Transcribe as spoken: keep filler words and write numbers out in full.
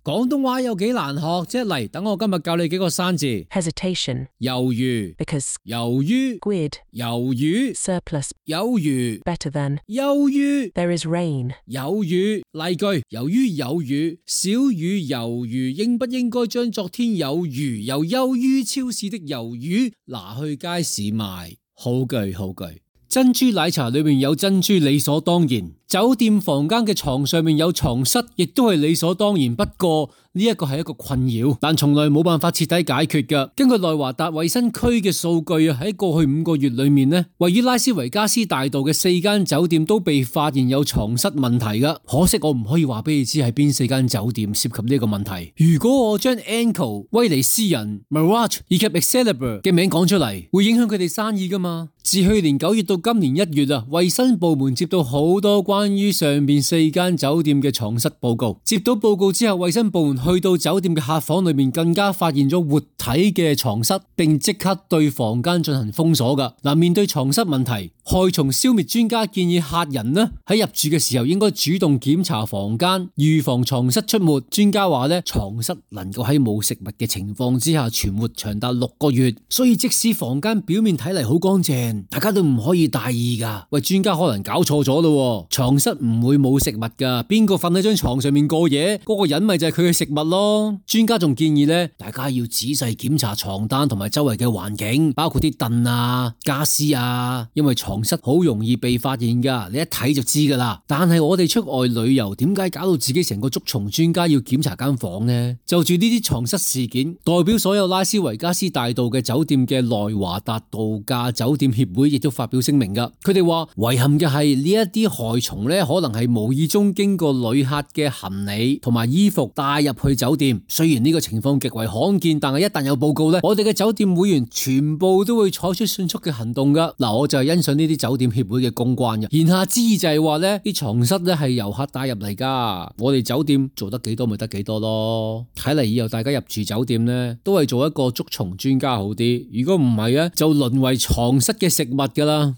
廣東話有幾難學啫？嚟，等我今日教你幾個生字。hesitation, 猶豫 because, 由於 quid, 魷魚 surplus, 有餘 better than, 憂於 there is rain, 有餘。例句：由於有雨，小雨猶豫，應不應該將昨天有餘又優於超市的魷魚拿去街市賣？好句好句。珍珠奶茶裏面有珍珠理所當然，酒店房間嘅床上面有床蝨亦都係理所當然。不過呢一個係一個困擾，但從來冇辦法徹底解決㗎。根據內華達衛生區嘅數據啊，喺過去五個月裏面呢，位於拉斯維加斯大道嘅四間酒店都被發現有床蝨問題㗎。可惜我唔可以話俾你知係邊四間酒店涉及呢個問題。如果我將 Anko、威尼斯人、Mirage 以及 Excalibur 嘅名講出嚟，會影響佢哋生意㗎嘛？自去年九月到今年一月啊，衛生部門接到好多關於上面四間酒店嘅床蝨報告。接到報告之後，衛生部門去到酒店嘅客房裏面，更加發現咗活體嘅床蝨，並即刻對房間進行封鎖噶。嗱，面對床蝨問題，害蟲消滅專家建議客人呢喺入住嘅時候應該主動檢查房間，預防床蝨出沒。專家話呢，床蝨能夠喺冇食物嘅情況之下存活長達六個月，所以即使房間表面睇嚟好乾淨，大家都唔可以大意噶。喂，專家可能搞錯咗咯，床蝨唔會冇食物噶，邊個瞓喺張床上面過夜，嗰個人咪就係佢嘅食物咯。專家仲建議咧，大家要仔細檢查床單同埋周圍嘅環境，包括啲凳啊、家私啊，因為床蝨好容易被發現噶，你一睇就知噶啦。但係我哋出外旅遊，點解搞到自己成個捉蟲專家要檢查間房呢？就住呢啲床蝨事件，代表所有拉斯維加斯大道嘅酒店嘅內華達度假酒店協會亦都發表聲明噶。佢哋話遺憾嘅係呢一啲害蟲咧，可能係無意中經過旅客嘅行李同埋衣服帶入去酒店。雖然呢個情況極為罕見，但係一旦有報告咧，我哋嘅酒店會員全部都會採取迅速嘅行動噶。嗱，我就係欣賞呢啲酒店協會嘅公關嘅。言下之意就係話咧，啲床蝨咧係遊客帶入嚟噶，我哋酒店做得幾多咪得幾多咯。睇嚟以後大家入住酒店咧，都係做一個捉蟲專家好啲。如果唔係咧，就淪為床蝨嘅食物噶啦。